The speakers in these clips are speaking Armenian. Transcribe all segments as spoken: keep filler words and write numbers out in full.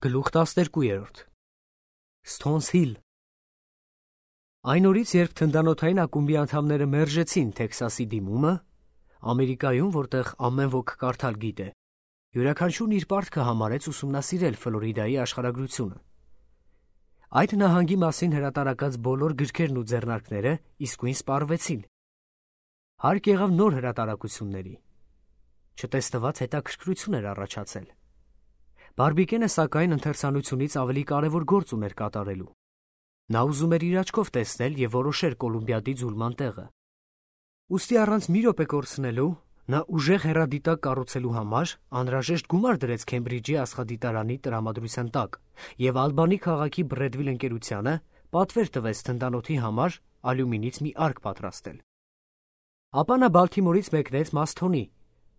Գլուխ տասներկու Stones Hill Այն օրից, երբ թնդանոթային ակումբի անդամները մերժեցին Թեքսասի դիմումը, Ամերիկայում, որտեղ ամեն ոք կարդալ գիտե, յուրաքանչյուրն իր պարտքը համարեց ուսումնասիրել Ֆլորիդայի աշխարհագրությունը։ Այդ նահանգի մասին հրատարակած բոլոր գրքերն ու ձեռնարկները իսկույն սպառվեցին։ Հարկ եղավ նոր հրատարակությունների։ Չտեսնված հետաքրքրություն էր առաջացել։ Բարբիկենը սակայն ընթերցանությունից ավելի կարևոր գործ ուներ կատարելու։ Նա ուզում էր իր աչքով տեսնել և որոշել Կոլումբիադի ձուլման տեղը։ Ուստի առանց մի րոպե կորցնելու, նա ուժեղ հեռադիտակ կառուցելու համար անհրաժեշտ գումար դրեց Քեմբրիջի աստղադիտարանի տրամադրության տակ և Ալբանի քաղաքի Բրեդվիլ ընկերությանը պատվեր տվեց թնդանոթի համար ալյումինից մի արկ պատրաստել։ Ապա նա Բալթիմորից մեկնեց Մասթոնի,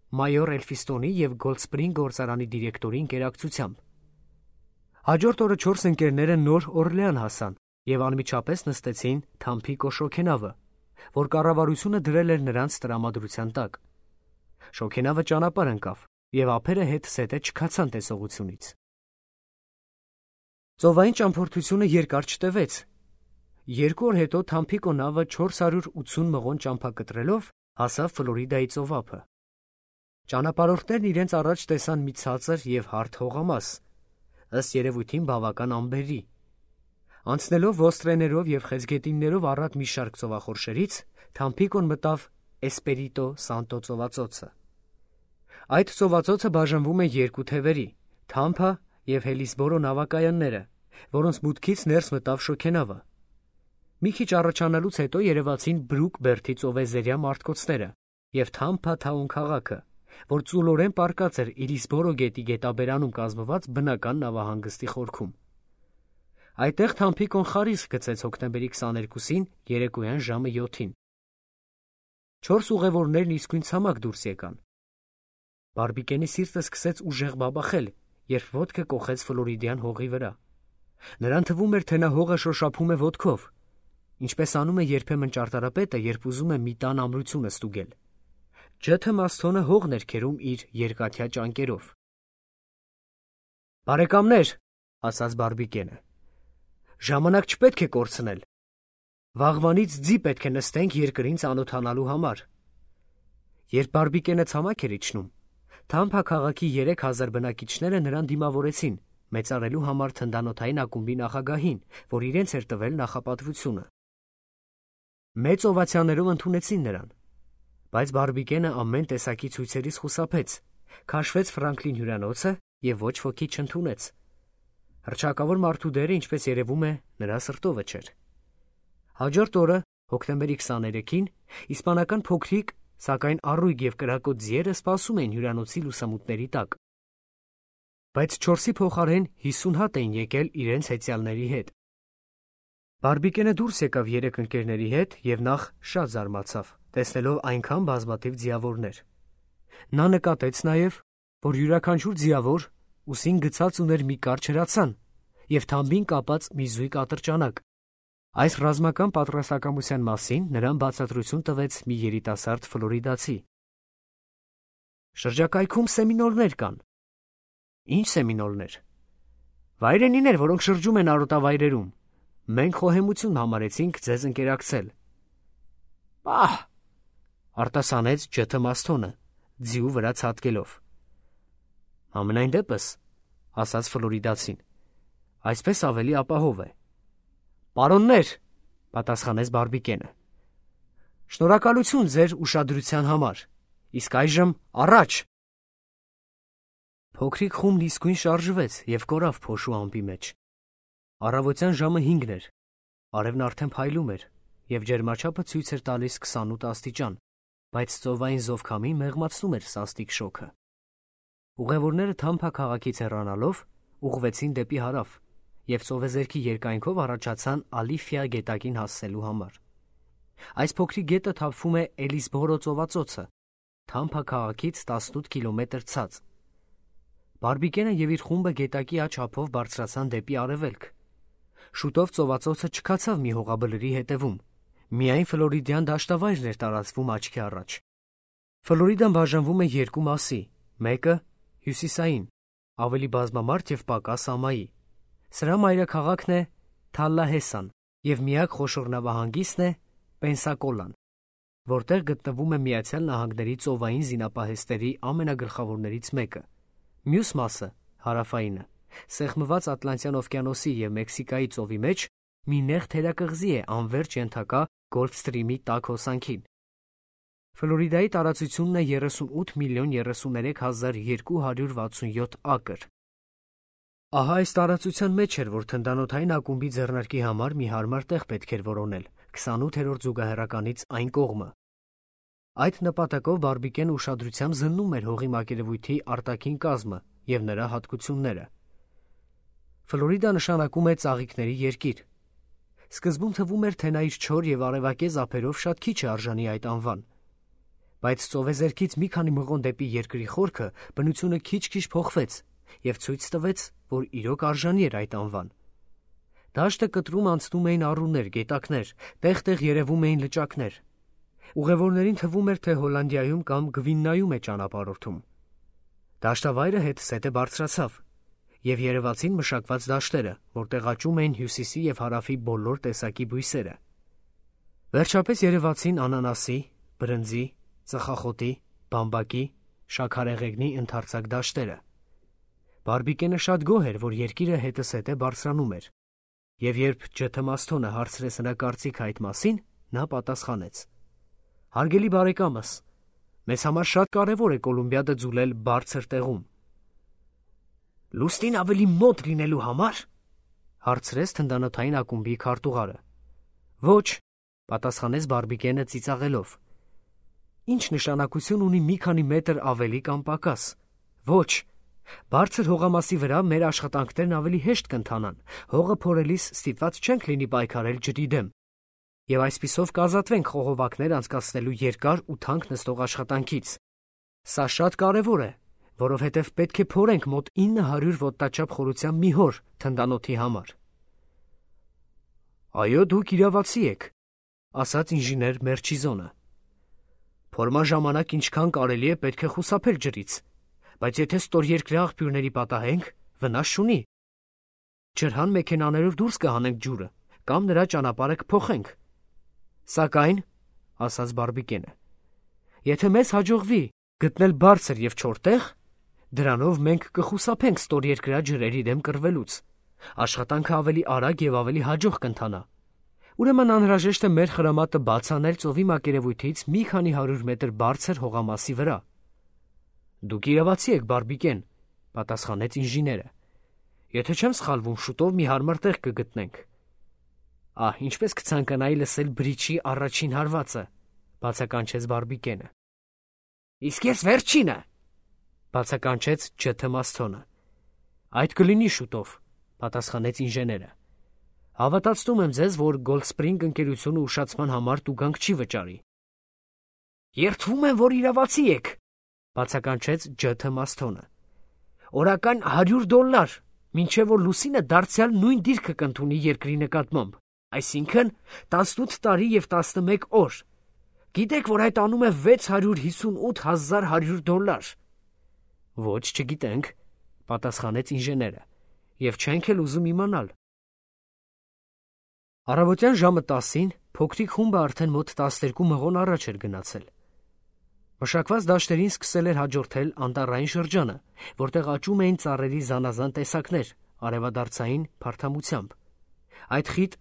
մայոր Էլֆիստոնի և Գոլդսպրինգ գործարանի դիրեկտորի ընկերակցությամբ։ Հաջորդ օրը չորս ընկերները նոր Օրլեան հասան և անմիջապես նստեցին Թամփիկո շոգենավը, որ կառավարությունը դրել էր նրանց տրամադրության տակ։ Շոգենավը ճանապարհ ընկավ, և ափերը հետզհետե չքացան տեսողությունից։ Ծովային ճամփորդությունը երկար չտևեց։ Երկու օր հետո Թամփիկո նավը չորս հարյուր ութսուն մղոն ճամփա կտրելով հասավ Ֆլորիդայի ծովափը։ Ճանապարհորդներն իրենց առաջ տեսան մի ցածր և հարթ հողամաս, ըստ երևույթին բավական անբերի։ Անցնելով ոստրեներով և խեցգետիններով առատ մի շարք ծովախորշերից, Թամփիկոն մտավ Էսպերիտո Սանտո ծովածոցը։ Այդ ծովածոցը բաժանվում է երկու թևերի՝ Թամփա և Հելիսբորո նավակայանները, որոնց մուտքից ներս մտավ շոգենավը։ Մի քիչ առաջանալուց հետո երևացին Բրուկ բերդի ծովեզերյա մարտկոցները և Թամփա Թաուն քաղաքը, որ ծուլորեն պառկած էր Իլիսբորո գետի գետաբերանում կազմված բնական նավահանգստի խորքում։ Այդտեղ Թամփիկոն խարիսկ գցեց հոկտեմբերի քսաներկուսին երեկոյան ժամը յոթին։ Չորս ուղևորներն իսկույն ցամաք դուրս եկան։ Բարբիկենի սիրտը սկսեց ուժեղ բաբախել, երբ ոտքը կոխեց ֆլորիդյան հողի վրա։ Նրան թվում էր, թե նա հողը շոշափում է ոտքով, ինչպես անում է երբեմն ճարտարապետը, երբ ուզում է մի տան ամրությունը ստուգել։ Ջեթը Մասթոնը հողն էր քերում իր երկաթյա ճանկերով։ «Բարեկամներ», ասաց Բարբիկենը, «ժամանակ չպետք է կորցնել։ Վաղվանից ձի պետք է նստենք երկրին ծանոթանալու համար»։ Երբ Բարբիկենը ցամաք էր իջնում, Թամփա քաղաքի երեք հազար բնակիչները նրան դիմավորեցին մեծարելու համար թնդանոթային ակումբի նախագահին, որ իրենց էր տվել նախապատվությունը։ Մեծ օվացիաներով ընդունեցին նրան, բայց Բարբիկենը ամեն տեսակի ցույցերից խուսափեց, քաշվեց Ֆրանկլին հյուրանոցը և ոչ ոքի չընդունեց։ Հռչակավոր մարդու դերը, ինչպես երևում է, նրա սրտովը չէր։ Հաջորդ օրը, հոկտեմբերի քսաներեքին, իսպանական փոքրիկ, սակայն առույգ և կրակոտ ձիերը սպասում էին հյուրանոցի լուսամուտների տակ։ Բայց չորսի փոխարեն հիսուն հատ էին եկել իրենց հեծյալների հետ։ Բարբիկենը դուրս եկավ երեք ընկերների հետ և նախ շատ զարմացավ, տեսնելով այնքան բազմաթիվ ձիավորներ։ Նա նկատեց նաև, որ յուրաքանչյուր ձիավոր ուսին գցած ուներ մի կարճ հրացան և թամբին կապած մի զույգ ատրճանակ։ Այս ռազմական պատրաստակամության մասին նրան բացատրություն տվեց մի երիտասարդ ֆլորիդացի։ «Շրջակայքում սեմինոլներ կան»։ «Ի՞նչ սեմինոլներ»։ «Վայրենիներ, որոնք շրջում են արոտավայրերում։ Մենք խոհեմություն համարեցինք ձեզ ընկերակցել»։ «Պահ», արտասանեց Ջեթը Մասթոնը, ձիու վրա ցատկելով։ «Համենայն դեպս», ասաց ֆլորիդացին, «այսպես ավելի ապահով է»։ «Պարոններ», պատասխանեց Բարբիկենը, «շնորհակալություն ձեր ուշադրության համար, իսկ այժմ առաջ»։ Փոքրիկ խումբն իսկույն շարժվեց և կորավ փոշու ամպի մեջ։ Առավոտյան ժամը հինգն էր, արևն արդեն փայլում էր, և ջերմաչափը ցույց էր տալիս քսանութ աստիճան, բայց ծովային զովքամին մեղմացնում էր սաստիկ շոգը։ Ուղևորները Թամփա քաղաքից հեռանալով ուղղվեցին դեպի հարավ և ծովեզերքի երկայնքով առաջացան Ալիֆիա գետակին հասնելու համար։ Այս փոքրիկ գետը թափվում է Էլիսբորո ծովածոցը, Թամփա քաղաքից տասնութ կիլոմետր ցած։ Բարբիկենը և իր խումբը գետակի աջ ափով բարձրացան դեպի արևելք։ Շուտով ծովածոցը չքացավ մի հողաբլրի հետևում, միայն ֆլորիդյան դաշտավայրն էր տարածվում աչքի առաջ։ Ֆլորիդան բաժանվում է երկու մասի, մեկը հյուսիսային, ավելի բազմամարդ և պակաս ամայի։ Սրա մայրաքաղաքն է Թալլահեսան և միակ խոշոր նավահանգիստն է Պենսակոլան, որտեղ գտնվում է Միացյալ Նահանգների ծովային զինապահեստերի ամենագլխավորներից մեկը։ Մյուս մասը, հարավայինը, սեղմված Ատլանտյան օվկիանոսի և Մեքսիկայի ծովի մեջ մի նեղ թերակղզի է անվերջ ենթակա Գոլֆստրիմի տաք հոսանքին։ Ֆլորիդայի տարածությունն է երեսունութ միլիոն երեսուներեք հազար երկու հարյուր վաթսունյոթ ակր։ Ահա այս տարածության մեջ էր, որ թնդանոթային ակումբի ձեռնարկի համար մի հարմար տեղ պետք էր որոնել քսանութերորդ զուգահեռականից այն կողմը։ Այդ նպատակով Բարբիկեն ուշադրությամբ զննում էր հողի մակերևույթի արտաքին կազմը և նրա հատկությունները։ Ֆլորիդա նշանակում է ծաղիկների երկիր։ Սկզբում թվում էր, թե նա իր չոր և արևակեզ ափերով շատ քիչ է արժանի այդ անվան, բայց ծովեզերքից մի քանի մղոն դեպի երկրի խորքը բնությունը քիչ-քիչ փոխվեց և ցույց տվեց, որ իրոք արժանի էր այդ անվան։ Դաշտը կտրում անցնում էին առուներ, գետակներ, տեղ-տեղ երևում էին լճակներ։ Ուղևորներին թվում էր, թե Հոլանդիայում կամ Գվիննայում է ճանապարհորդում։ Դաշտավայրը հետզհետե բարձրացավ, և երևացին մշակված դաշտերը, որտեղ աճում էին հյուսիսի և հարավի բոլոր տեսակի բույսերը։ Վերջապես երևացին անանասի, բրնձի, ծխախոտի, բամբակի, շաքարեղեգնի ընդարձակ դաշտերը։ Բարբիկենը շատ գոհ էր, որ երկիրը հետզհետե բարձրանում էր, և երբ Ջ. Մասթոնը հարցրեց նրա կարծիքը այդ մասին, նա պատասխանեց. «Հարգելի բարեկամս, մեզ համար շատ կարևոր է Կոլումբիադը ձուլել բարձր տեղում»։ «Լուսնին ավելի մոտ լինելու համար» հարցրեց թնդանոթային ակումբի քարտուղարը։ «Ոչ», պատասխանեց Բարբիկենը ծիծաղելով։ «Ինչ նշանակություն ունի մի քանի մետր ավելի կամ պակաս։ Ոչ, բարձր հողամասի վրա մեր աշխատանքներն ավելի հեշտ կընթանան, հողը փորելիս ստիպված չենք լինի պայքարել ջրի դեմ, և այսպիսով կազատվենք խողովակներ անցկացնելու երկար ու թանկ նստող աշխատանքից։ Սա շատ կարևոր է, որովհետև պետք է փորենք մոտ ինը հարյուր ոտնաչափ խորությամբ մի հոր թնդանոթի համար»։ «Այո, դուք իրավացի եք», ասաց ինժեներ Մերչիզոնը։ «Փորման ժամանակ ինչքան կարելի է պետք է խուսափել ջրից, բայց եթե ստորերկրյա աղբյուրների պատահենք, վնաս չունի։ Ջրհան մեքենաներով դուրս կհանենք ջուրը կամ նրա ճանապարհը կփոխենք։ Սակայն, ասաց Բարբիկենը, եթե մեզ հաջողվի գտնել բարձր և չոր տեղ, դրանով մենք կխուսափենք ստորերկրյա ջրերի դեմ կռվելուց, աշխատանքը ավելի արագ և ավելի հաջող կընթանա։ Ուրեմն անհրաժեշտ է մեր խրամատը բաց անել ծովի մակերևույթից մի քանի հարյուր մետր բարձր հողամասի վրա»։ «Դուք իրավացի եք, Բարբիկեն», պատասխանեց ինժեները։ «Եթե չեմ սխալվում, շուտով մի հարմար տեղ կգտնենք»։ «Ահ, ինչպես կցանկանայի լսել բրիչի առաջին հարվածը», բացականչեց Բարբիկենը։ «Իսկ ես վերջինը», բացականչեց Ջ. Մասթոնը։ «Այդ կլինի շուտով», պատասխանեց ինժեները։ «Հավատացնում եմ ձեզ, որ Գոլֆսպրինգ ընկերությունը ուշացման համար տուգանք չի վճարի»։ «Երդվում եմ, որ իրավացի եք», բացականչեց Ջ. Մասթոնը։ «Օրական հարյուր դոլար, մինչև որ լուսինը դարձյալ նույն դիրքը կընդունի երկրի նկատմամբ, այսինքն տասնութ տարի և տասնմեկ օր։ Գիտեք, որ այդ անում է վեց հարյուր հիսունութ հազար հարյուր դոլար»։ «Ոչ, չգիտենք», պատասխանեց ինժեները, «և չենք էլ ուզում իմանալ»։ Առավոտյան ժամը տասին փոքրիկ խումբը արդեն մոտ տասներկու մղոն առաջ էր գնացել։ Մշակված դաշտերին սկսել էր հաջորդել անտառային շրջանը, որտեղ աճում էին ծառերի զանազան տեսակներ արևադարձային փարթամությամբ։ Այդ խիտ,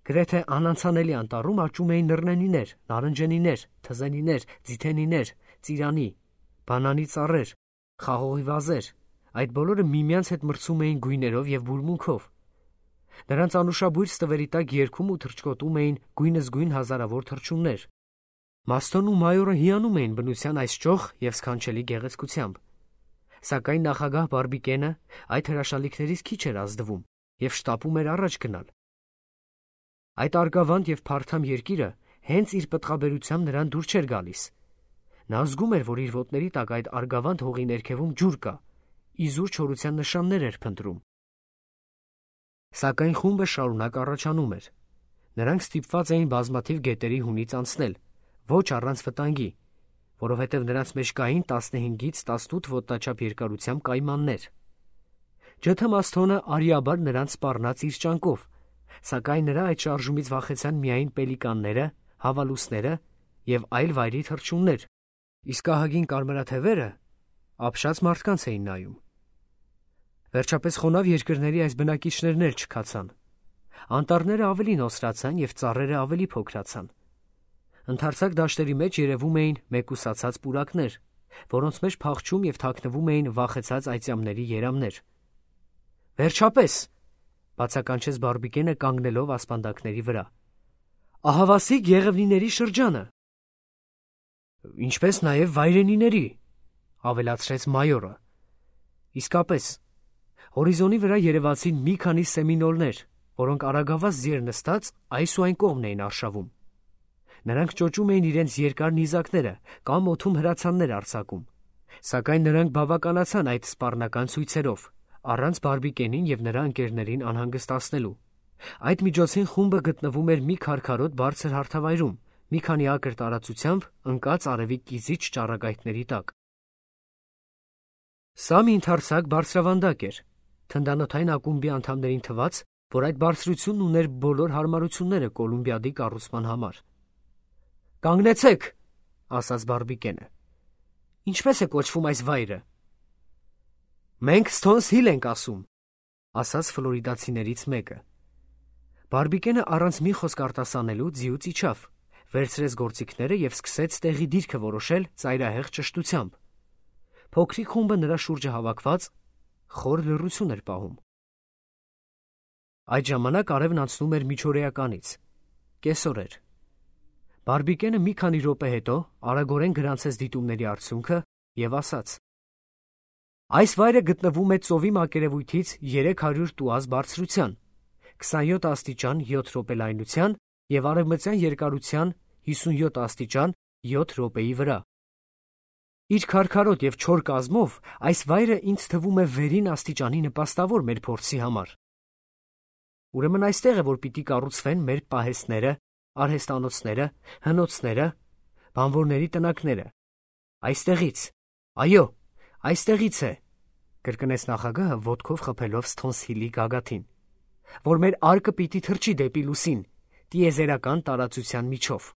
գրեթե անանցանելի անտառում աճում էին նռնենիներ, նարնջենիներ, թզենիներ, ձիթենիներ, ծիրանի, բանանի ծառեր, խաղողի վազեր, այդ բոլորը միմյանց հետ մրցում էին գույներով և բուրմունքով։ Նրանց անուշաբույր ստվերի տակ երգում ու թռչկոտում էին գույնզգույն հազարավոր թռչուններ։ Մասթոնն ու մայորը հիանում էին բնության այս ճոխ և սքանչելի գեղեցկությամբ։ Սակայն նախագահ Բարբիկենը այդ հրաշալիքներից քիչ էր ազդվում և շտապում էր առաջ գնալ։ Այդ արգավանդ և փարթամ երկիրը հենց իր պտղաբերությամբ նրան դուր չէր գալիս։ Նա զգում էր, որ իր ոտների տակ այդ արգավանդ հողի ներքևում ջուր կա, իզուր չորության նշաններ էր փնտրում։ Սակայն խումբը շարունակ առաջանում էր։ Նրանք ստիպված էին բազմաթիվ գետերի հունից անցնել, ոչ առանց վտանգի, որովհետև նրանց մեջ կային տասնհինգից տասնութ ոտնաչափ երկարությամբ կայմաններ։ Ջթմասթոնը արիաբար նրանց սպառնաց իր ճանկով, սակայն նրա այդ շարժումից վախեցան միայն պելիկանները, հավալուսները և այլ վայրի թռչուններ, իսկ ահագին կարմրաթևերը ապշած մարդկանց էին նայում։ Վերջապես խոնավ երկրների այս բնակիչներն էլ չքացան։ Անտառները ավելի նոսրացան և ծառերը ավելի փոքրացան։ Ընդարձակ դաշտերի մեջ երևում էին մեկուսացած պուրակներ, որոնց մեջ փախչում և թաքնվում էին վախեցած այծյամների երամներ։ «Վերջապես», բացականչեց Բարբիկենը կանգնելով ասպանդակների վրա, «ահավասիկ եղևնիների շրջանը»։ «Ինչպես նաև վայրենիների», ավելացրեց մայորը։ Իսկապես, հորիզոնի վրա երևացին մի քանի սեմինոլներ, որոնք արագավազ ձիեր նստած այս ու այն կողմն էին արշավում։ Նրանք ճոճում էին իրենց երկար նիզակները կամ օդում հրացաններ արձակում, սակայն նրանք բավականացան այդ սպառնական ցույցերով, առանց Բարբիկենին և նրա ընկերներին անհանգստացնելու։ Այդ միջոցին խումբը գտնվում էր մի քարքարոտ բարձր հարթավայրում, մի քանի ակր տարածությամբ ընկած արևի կիզիչ ճառագայթների տակ։ Սա մի ընդարձակ բարձրավանդակ էր։ Թնդանոթային ակումբի անդամներին թվաց, որ այդ բարձրությունն ուներ բոլոր հարմարությունները Կոլումբիադի կառուցման համար։ «Կանգնեցեք», ասաց Բարբիկենը։ «Ինչպես է կոչվում այս վայրը»։ «Մենք Սթոնս Հիլ ենք ասում», ասաց ֆլորիդացիներից մեկը։ Բարբիկենը առանց մի խոսք արտասանելու ձիուց իջավ, վերցրեց գործիքները և սկսեց տեղի դիրքը որոշել ծայրահեղ ճշտությամբ։ Փոքրիկ խումբը նրա շուրջը հավաքված խոր լռություն էր պահում։ Այդ ժամանակ արևն անցնում էր միջօրեականից։ Կեսօր էր։ Բարբիկենը մի քանի րոպե հետո արագորեն գրանցեց դիտումների արդյունքը և ասաց. «Այս վայրը գտնվում է ծովի մակերևույթից երեք հարյուր տուազ բարձրության, քսանյոթ աստիճան յոթ րոպե լայնության և արևմտյան երկարության հիսունյոթ աստիճան յոթ րոպեի վրա։ Իր քարքարոտ և չոր կազմով այս վայրը ինձ թվում է վերին աստիճանի նպաստավոր մեր փորձի համար։ Ուրեմն այստեղ է, որ պիտի կառուցվեն մեր պահեստները, արհեստանոցները, հնոցները, բանվորների տնակները։ Այստեղից, այո, այստեղից է», կրկնեց նախագահը ոտքով խփելով Սթոնս Հիլի գագաթին, «որ մեր արկը պիտի թռչի դեպի լուսին, տիեզերական տարածության միջով»։